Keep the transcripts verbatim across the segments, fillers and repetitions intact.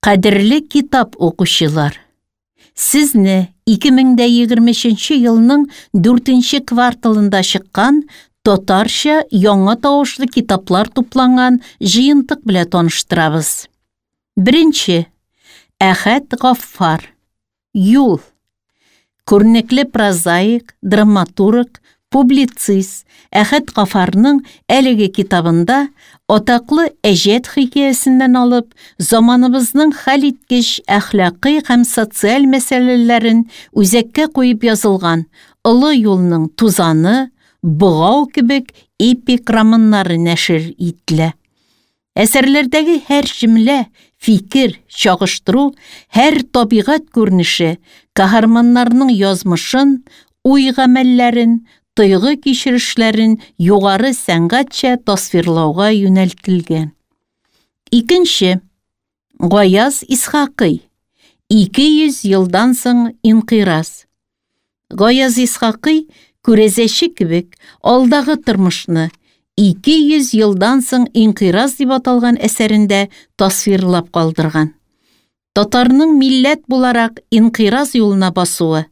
Кадерле китап укучылар! Сезне ике мең дә егерме өченче елның дүртенче кварталында чыккан татарча яңа тавышлы китаплар тупланган җыентык белән таныштырабыз. Беренче. Әхәт Гаффар. Юл. Күренекле прозаик, драматург, публицист Әхәт Гаффарның әлеге китабында атаклы Әҗәт хикәясеннән алып, заманыбызның хәлиткеч әхлакый һәм социаль мәсьәләләрен үзәккә куеп язылган Олы юлның тузаны, Богау кебек эпик романнары нәшер ителә. Әсәрләрдәге һәр җөмлә, фикер, чагыштыру, һәр табигать күренеше каһарманнарның язмышын, уй-гамәлләрен, тойгы кичерешләрен югары сәнгатьчә тасвирлауга юнәлтелгән. Икенче. Гаяз Исхакый. Ике йөз елдан соң инкыйраз. Гаяз Исхакый күрәзәче кебек алдагы тормышны ике йөз елдан соң инкыйраз дип аталган әсәрендә тасвирлап калдырган. Татарның милләт буларак инкыйраз юлына басуы,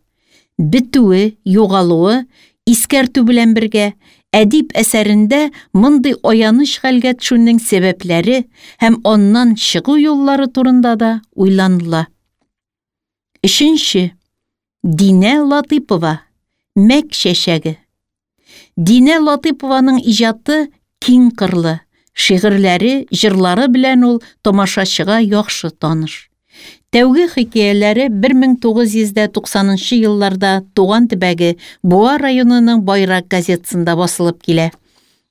бетүе, югалуы искәртү белән бергә әдип әсәрендә мондый аяныч хәлгә төшүнең сәбәпләре һәм аннан чыгу юллары турында да уйланыла. Өченче. Динә Латыйпова. Мәк чәчәге. Динә Латыйпованың иҗаты киң кырлы, шигырьләре, җырлары белән ул тамашачыга яхшы таныш. Тәүге хикәяләре бер мең тугыз йөз дә туксанынчы елларда туган төбәге Буа районының Байрак газетасында басылып килә.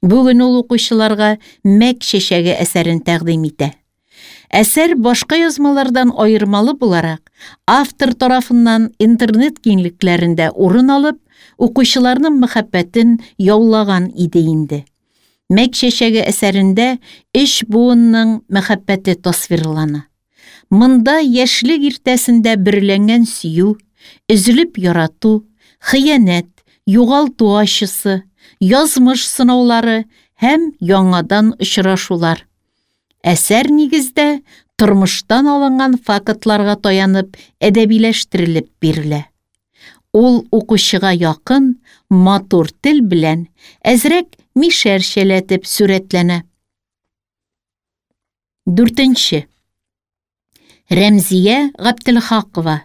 Бүген ул укучыларга Мәк чәчәге әсәрен тәкъдим итә. Әсәр башка язмалардан аермалы буларак, автор тарафыннан интернет киңлекләрендә урын алып, укучыларның мәхәббәтен яулаган иде инде. Мәк чәчәге әсәрендә өч буынның мәхәббәте тасвирлана. Монда яшьлек иртәсендә бөрләнгән сөю, өзелеп ярату, хыянәт, югалту ачысы, язмыш сынаулары һәм яңадан очрашулар. Әсәр нигездә тормыштан алынган фактларга таянып әдәбиләштерелеп бирелә. Ул укучыга якын, матур тел белән әзрәк мишәрчәләтеп сурәтләнә. Дүртенче. Рәмзия Габделхакова.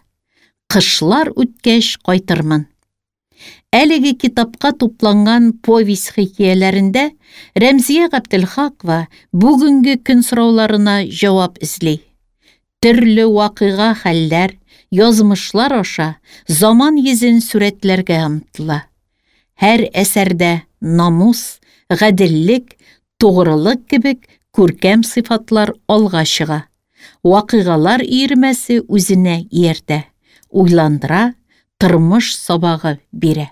Кышлар үткәч кайтырмын. Әлеге китапка тупланган повесть хикәяләрендә Рәмзия Габделхакова бүгенге көн сорауларына җавап эзли. Төрле вакыйга хәлләр, язмышлар аша заман йөзен сурәтләргә омтыла. Һәр әсәрдә намус, гаделлек, тугрылык кебек күркәм сыйфатлар алга чыга. Вакыйгалар өермәсе үзенә ияртә, уйландыра, тормыш сабагы бирә.